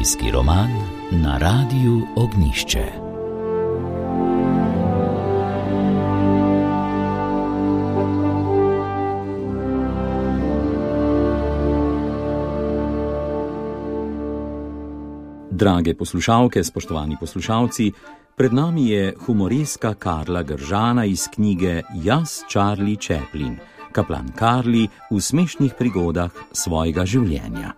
Zimski roman na Radiu Ognjišče. Drage poslušalke, spoštovani poslušalci, pred nami je humoreska Karla Gržana iz knjige Jaz, Charlie Chaplin, kaplan Karli v smešnih prigodah svojega življenja.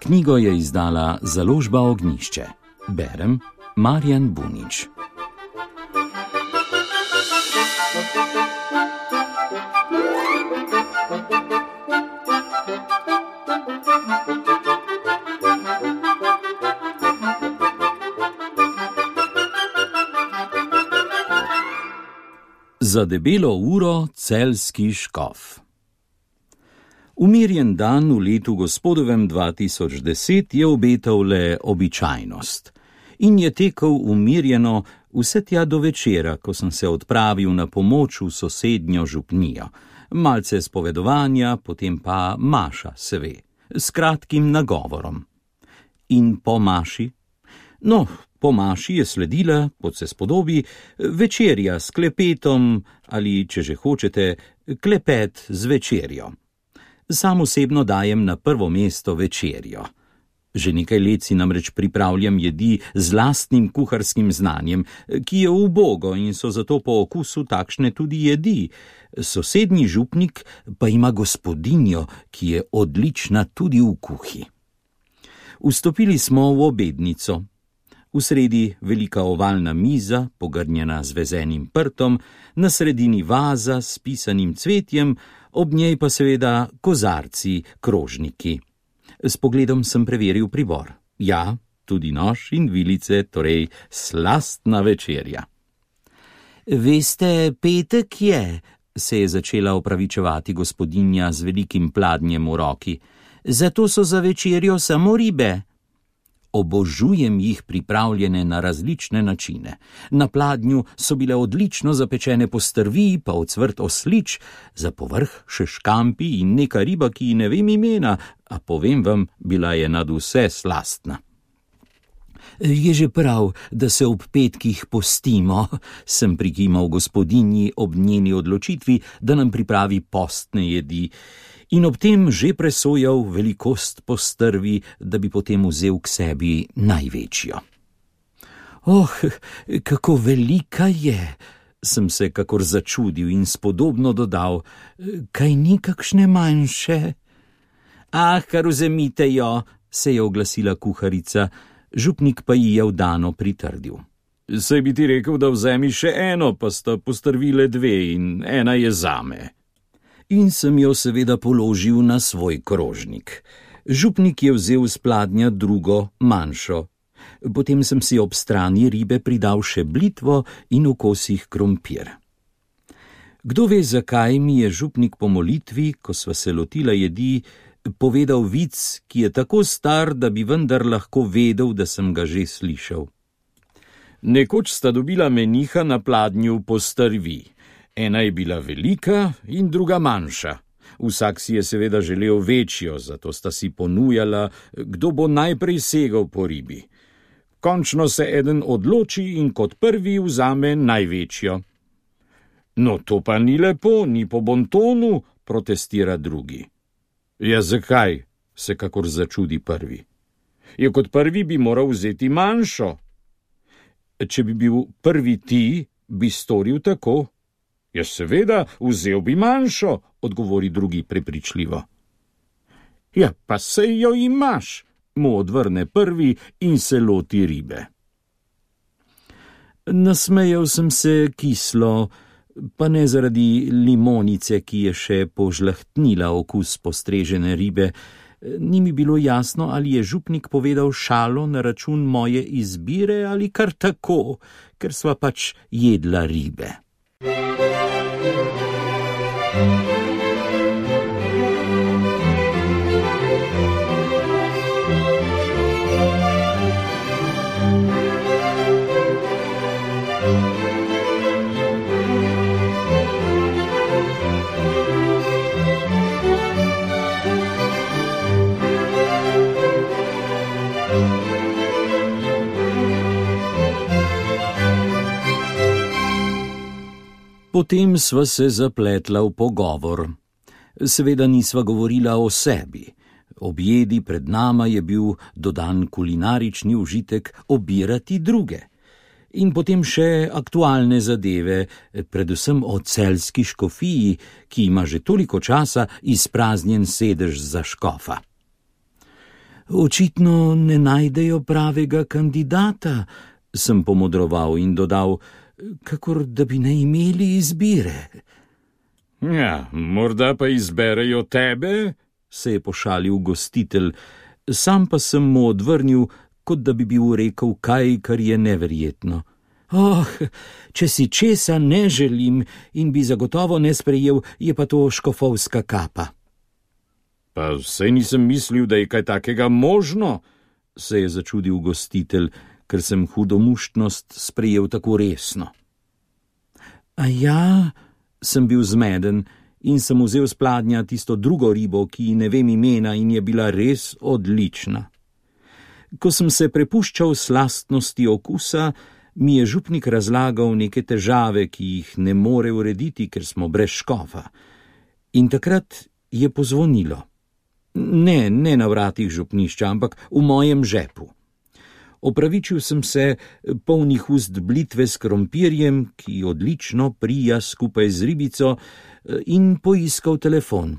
Knjigo je izdala založba Ognjišče. Berem Marjan Bunič. Za debelo uro celjski škof. Umirjen dan v letu gospodovem 2010 je obetal le običajnost in je tekel umirjeno vse tja do večera, ko sem se odpravil na pomoč v sosednjo župnijo. Malce spovedovanja, potem pa maša, se ve, s kratkim nagovorom. In po maši? No, po maši je sledila, kot se spodobi, večerja s klepetom ali, če že hočete, klepet z večerjo. Sam osebno dajem na prvo mesto večerjo. Že nekaj let si namreč pripravljam jedi z lastnim kuharskim znanjem, ki je ubogo in so zato po okusu takšne tudi jedi. Sosednji župnik pa ima gospodinjo, ki je odlična tudi v kuhi. Vstopili smo v obednico. V sredi velika ovalna miza, pogrnjena z vezenim prtom, na sredini vaza s pisanim cvetjem, ob njej pa seveda kozarci, krožniki. S pogledom sem preveril pribor. Ja, tudi nož in vilice, torej slastna večerja. Veste, petek je, se je začela opravičevati gospodinja z velikim pladnjem v roki. Zato so za večerjo samo ribe. Obožujem jih pripravljene na različne načine. Na pladnju so bile odlično zapečene postrvi, pa ocvrt oslič, za povrh še škampi in neka riba, ki ne vem imena, a povem vam, bila je nadvse slastna. Je že prav, da se ob petkih postimo, sem prikimal gospodinji ob njeni odločitvi, da nam pripravi postne jedi, in ob tem že presojal velikost postrvi, da bi potem vzel k sebi največjo. Oh, kako velika je, sem se kakor začudil in spodobno dodal, kaj ni kakšne manjše? Ah, kar vzemite jo, se je oglasila kuharica, župnik pa ji je vdano pritrdil. Saj bi ti rekel, da vzemi še eno, pa sta postrvile dve in ena je zame. In sem jo seveda položil na svoj krožnik. Župnik je vzel z pladnja drugo, manjšo. Potem sem si ob strani ribe pridal še blitvo in v kosih krompir. Kdo ve, zakaj mi je župnik po molitvi, ko sva se lotila jedi, povedal vic, ki je tako star, da bi vendar lahko vedel, da sem ga že slišal. Nekoč sta dobila meniha na pladnju postrvi. Ena je bila velika in druga manjša. Vsak si je seveda želel večjo, zato sta si ponujala, kdo bo najprej segal po ribi. Končno se eden odloči in kot prvi vzame največjo. No, to pa ni lepo, ni po bontonu, protestira drugi. Ja, zakaj? Se kakor začudi prvi. Ja, kot prvi bi moral vzeti manjšo. Če bi bil prvi ti, bi storil tako. Ja, seveda, vzel bi manjšo, odgovori drugi prepričljivo. Ja, pa sej jo imaš, mu odvrne prvi in se loti ribe. Nasmejal sem se kislo, pa ne zaradi limonice, ki je še požlahtnila okus postrežene ribe. Ni mi bilo jasno, ali je župnik povedal šalo na račun moje izbire ali kar tako, ker sva pač jedla ribe. Potem sva se zapletla v pogovor. Seveda nisva govorila o sebi. Ob jedi pred nama je bil dodan kulinarični užitek obirati druge. In potem še aktualne zadeve, predvsem o celjski škofiji, ki ima že toliko časa izpraznjen sedež za škofa. Očitno ne najdejo pravega kandidata, sem pomodroval in dodal, kakor da bi ne imeli izbire. Ja, morda pa izberejo tebe, se je pošalil gostitelj, sam pa sem mu odvrnil, kot da bi bil rekel kaj, kar je neverjetno. Če si česa ne želim in bi zagotovo ne sprejel, je pa to škofovska kapa. Pa saj nisem mislil, da je kaj takega možno, se je začudil gostitelj, ker sem hudomuštnost sprejel tako resno. A ja, sem bil zmeden in sem vzel s pladnja tisto drugo ribo, ki ne vem imena in je bila res odlična. Ko sem se prepuščal slastnosti okusa, mi je župnik razlagal neke težave, ki jih ne more urediti, ker smo brez škofa. In takrat je pozvonilo. Ne na vratih župnišča, ampak v mojem žepu. Opravičil sem se, polnih ust blitve s krompirjem, ki odlično prija skupaj z ribico, in poiskal telefon.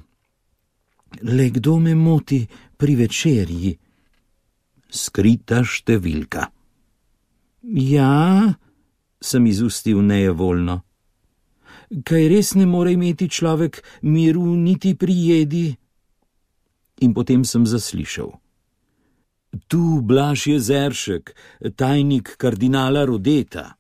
Le kdo me moti pri večerji? Skrita številka. Ja, sem izustil nejevoljno. Kaj res ne more imeti človek miru niti pri jedi? In potem sem zaslišal. Tu Blaž Jezeršek, tajnik kardinala Rodeta.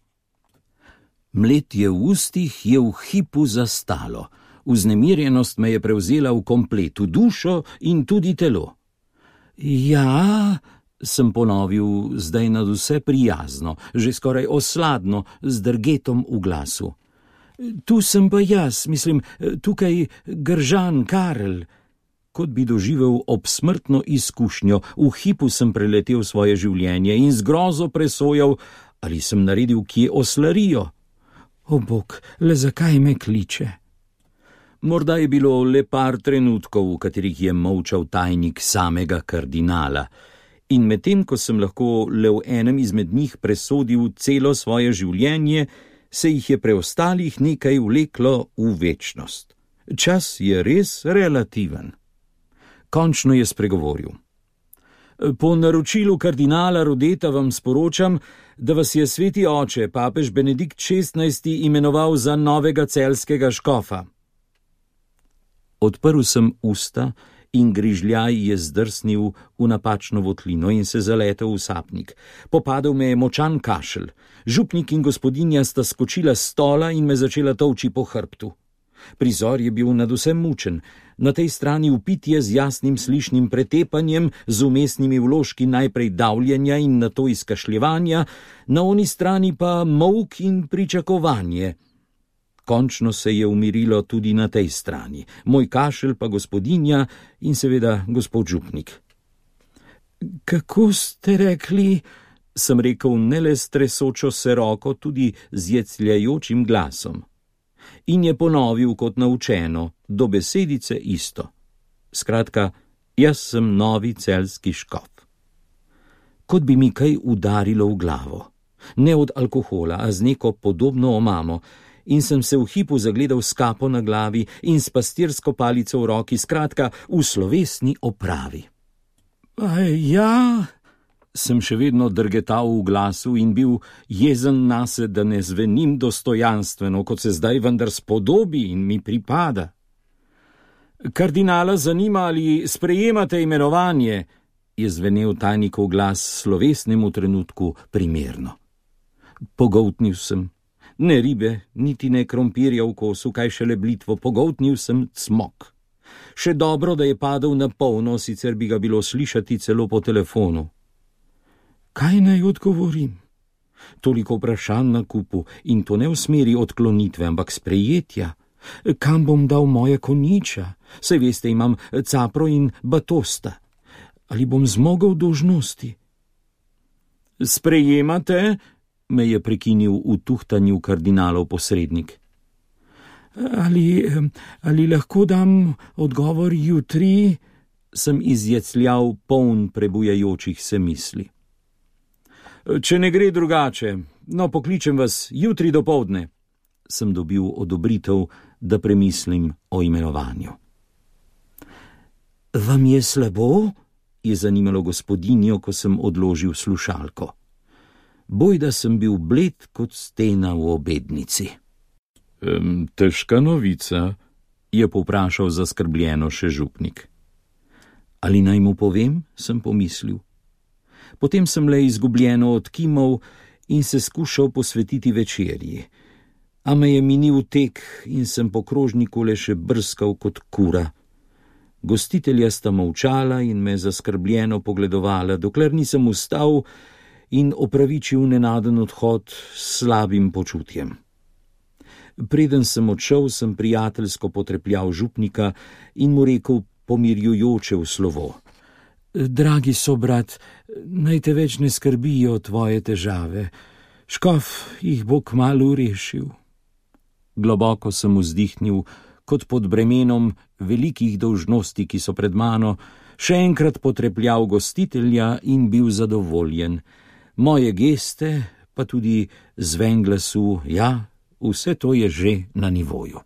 Mletje v ustih je v hipu zastalo. Vznemirjenost me je prevzela v kompletu, dušo in tudi telo. Ja, sem ponovil, zdaj nadvse prijazno, že skoraj osladno, z drgetom v glasu. Tu sem pa jaz, mislim, tukaj Gržan Karel. Kot bi doživel obsmrtno izkušnjo, v hipu sem preletel svoje življenje in z grozo presojal, ali sem naredil kje oslarijo. O bog, le zakaj me kliče? Morda je bilo le par trenutkov, v katerih je molčal tajnik samega kardinala. In medtem, ko sem lahko le v enem izmed njih presodil celo svoje življenje, se jih je preostalih nekaj vleklo v večnost. Čas je res relativen. Končno je spregovoril. Po naročilu kardinala Rodeta vam sporočam, da vas je sveti oče, papež Benedikt XVI, imenoval za novega celjskega škofa. Odprl sem usta in grižljaj je zdrsnil v napačno votlino in se zaletel v sapnik. Popadel me je močan kašelj. Župnik in gospodinja sta skočila s stola in me začela tolči po hrbtu. Prizor je bil nadvse mučen. Na tej strani vpitje z jasnim slišnim pretepanjem, z umestnimi vložki najprej davljenja in nato izkašljevanja, na oni strani pa molk in pričakovanje. Končno se je umirilo tudi na tej strani, moj kašelj pa gospodinja in seveda gospod župnik. Kako ste rekli, sem rekel ne le s tresočo se roko, tudi z jecljajočim glasom. In je ponovil kot naučeno, do besedice isto. Skratka, jaz sem novi celjski škof. Kot bi mi kaj udarilo v glavo. Ne od alkohola, a z neko podobno omamo, in sem se v hipu zagledal s kapo na glavi in s pastirsko palico v roki, skratka, v slovesni opravi. Ja, sem še vedno drgetal v glasu in bil jezen nase, da ne zvenim dostojanstveno, kot se zdaj vendar spodobi in mi pripada. Kardinala zanima, ali sprejemate imenovanje, je zvenel tajnikov glas slovesnemu trenutku primerno. Pogoltnil sem. Ne ribe, niti ne krompirja v kosu, kaj šele blitvo, pogoltnil sem cmok. Še dobro, da je padel na polno, sicer bi ga bilo slišati celo po telefonu. Kaj naj odgovorim? Toliko vprašanj na kupu in to ne v smeri odklonitve, ampak sprejetja. Kam bom dal moje konjiča? Saj veste, imam capro in batosta. Ali bom zmogel dolžnosti? Sprejemate? Me je prekinil v tuhtanju kardinalov posrednik. Ali lahko dam odgovor jutri? Sem izjecljal poln prebujajočih se misli. Če ne gre drugače, no, pokličem vas jutri dopoldne. Sem dobil odobritev, da premislim o imenovanju. Vam je slabo? Je zanimalo gospodinjo, ko sem odložil slušalko. Bojda sem bil bled kot stena v obednici. Težka novica, je povprašal zaskrbljeno še župnik. Ali naj mu povem, sem pomislil. Potem sem le izgubljeno odkimal in se skušal posvetiti večerji. A me je minil tek in sem po krožniku le še brskal kot kura. Gostitelja sta molčala in me zaskrbljeno pogledovala, dokler nisem vstal in opravičil nenaden odhod s slabim počutjem. Preden sem odšel, sem prijateljsko potrepljal župnika in mu rekel pomirjujoče v slovo. Dragi sobrat, naj te več ne skrbijo tvoje težave. Škof jih bo kmalu rešil. Globoko sem vzdihnil, kot pod bremenom velikih dolžnosti, ki so pred mano, še enkrat potrepljal gostitelja in bil zadovoljen. Moje geste, pa tudi zven glasu, ja, vse to je že na nivoju.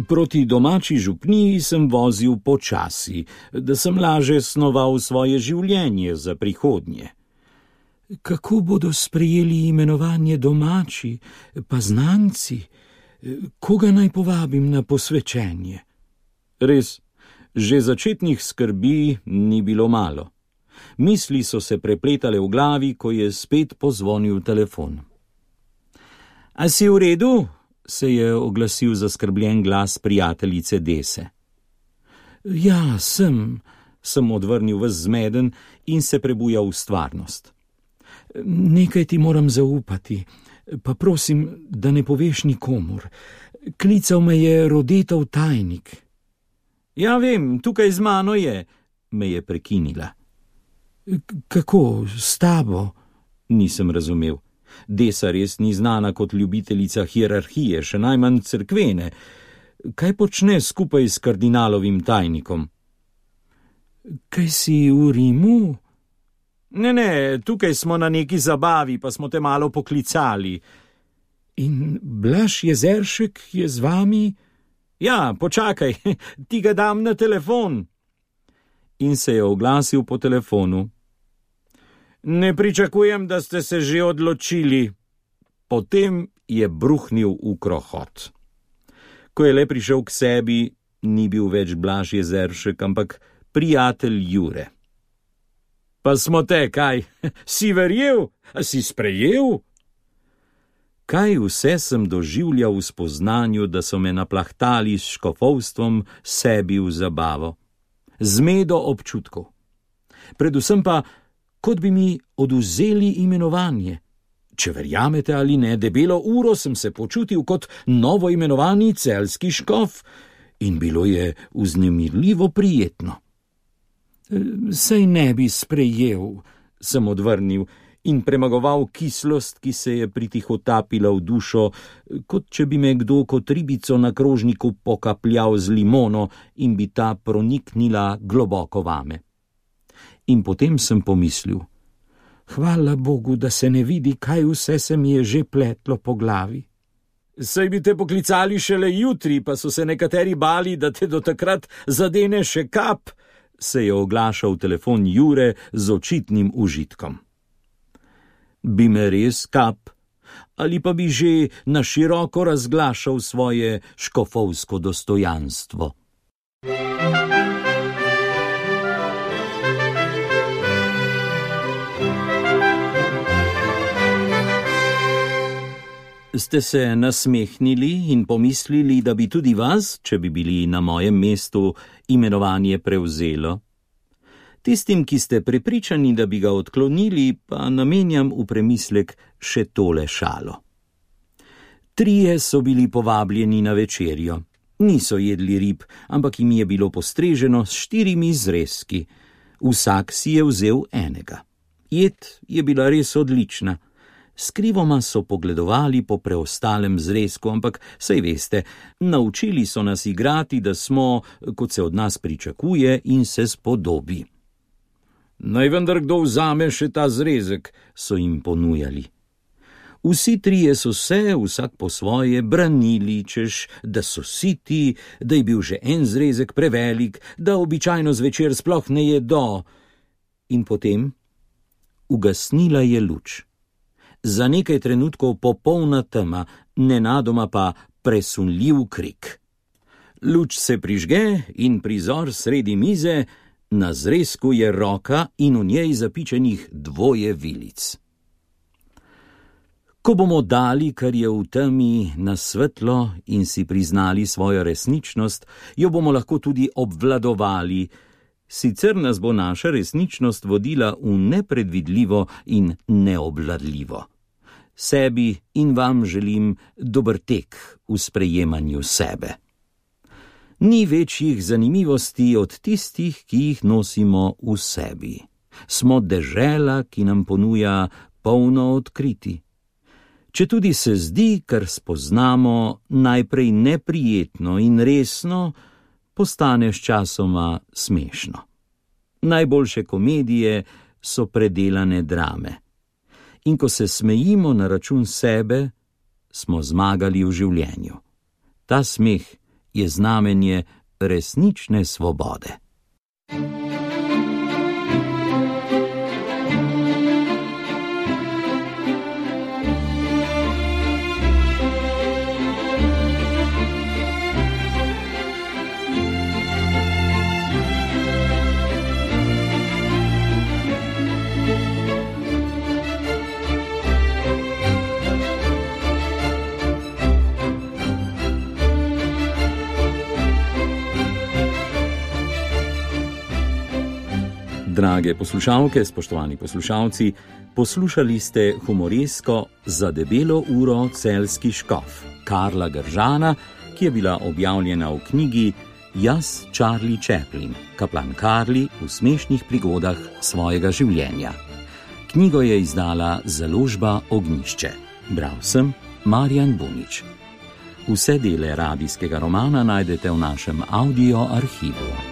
Proti domači župniji sem vozil počasi, da sem laže snoval svoje življenje za prihodnje. Kako bodo sprejeli imenovanje domači, pa znanci? Koga naj povabim na posvečenje? Res, že začetnih skrbi ni bilo malo. Misli so se prepletale v glavi, ko je spet pozvonil telefon. A si v redu? Se je oglasil zaskrbljen glas prijateljice Dese. Ja, sem odvrnil ves zmeden in se prebujal v stvarnost. Nekaj ti moram zaupati, pa prosim, da ne poveš nikomur. Klical me je Rodetov tajnik. Ja, vem, tukaj z mano je, me je prekinila. Kako, s tabo? Nisem razumel. Desa res ni znana kot ljubiteljica hierarhije, še najmanj cerkvene. Kaj počne skupaj s kardinalovim tajnikom? Kaj si v Rimu? Ne, tukaj smo na neki zabavi, pa smo te malo poklicali. In Blaž Jezeršek je z vami? Ja, počakaj, ti ga dam na telefon. In se je oglasil po telefonu. Ne pričakujem, da ste se že odločili. Potem je bruhnil v krohot. Ko je le prišel k sebi, ni bil več Blaž Jezeršek, ampak prijatelj Jure. Pa smo te, kaj? Si verjel? A si sprejel? Kaj vse sem doživljal v spoznanju, da so me naplahtali s škofovstvom sebi v zabavo. Zmedo občutkov. Predvsem pa, kot bi mi odvzeli imenovanje. Če verjamete ali ne, debelo uro sem se počutil kot novo imenovani celjski škof in bilo je vznemirljivo prijetno. Sej ne bi sprejel, sem odvrnil in premagoval kislost, ki se je pritihotapila v dušo, kot če bi me kdo kot ribico na krožniku pokapljal z limono in bi ta proniknila globoko vame. In potem sem pomislil, hvala Bogu, da se ne vidi, kaj vse se mi je že pletlo po glavi. Saj bi te poklicali šele jutri, pa so se nekateri bali, da te do takrat zadene še kap, se je oglašal telefon Jure z očitnim užitkom. Bi me res kap, ali pa bi že na široko razglašal svoje škofovsko dostojanstvo. Ste se nasmehnili in pomislili, da bi tudi vas, če bi bili na mojem mestu, imenovanje prevzelo? Tistim, ki ste prepričani, da bi ga odklonili, pa namenjam v premislek še tole šalo. 3 so bili povabljeni na večerjo. Niso jedli rib, ampak jim je bilo postreženo s 4 zrezki. Vsak si je vzel enega. Jed je bila res odlična. Skrivoma so pogledovali po preostalem zrezku, ampak saj veste, naučili so nas igrati, da smo, kot se od nas pričakuje in se spodobi. Naj vendar kdo vzame še ta zrezek, so jim ponujali. Vsi 3 so se, vsak po svoje, branili, češ, da so siti, da je bil že en zrezek prevelik, da običajno zvečer sploh ne jedo. In potem ugasnila je luč. Za nekaj trenutkov popolna tema, nenadoma pa presunljiv krik. Luč se prižge in prizor sredi mize, na zrezku je roka in v njej zapičenih 2 vilic. Ko bomo dali, kar je v temi, na svetlo in si priznali svojo resničnost, jo bomo lahko tudi obvladovali, sicer nas bo naša resničnost vodila v nepredvidljivo in neobvladljivo. Sebi in vam želim dober tek v sprejemanju sebe. Ni večjih zanimivosti od tistih, ki jih nosimo v sebi. Smo dežela, ki nam ponuja polno odkriti. Četudi se zdi, kar spoznamo, najprej neprijetno in resno, postane sčasoma smešno. Najboljše komedije so predelane drame. In ko se smejimo na račun sebe, smo zmagali v življenju. Ta smeh je znamenje resnične svobode. Drage poslušalke, spoštovani poslušalci, poslušali ste humoresko Za debelo uro celjski škof Karla Gržana, ki je bila objavljena v knjigi Jaz, Charlie Chaplin, kaplan Karli v smešnih prigodah svojega življenja. Knjigo je izdala založba Ognjišče. Bral sem Marjan Bunič. Vse dele radijskega romana najdete v našem audio arhivu.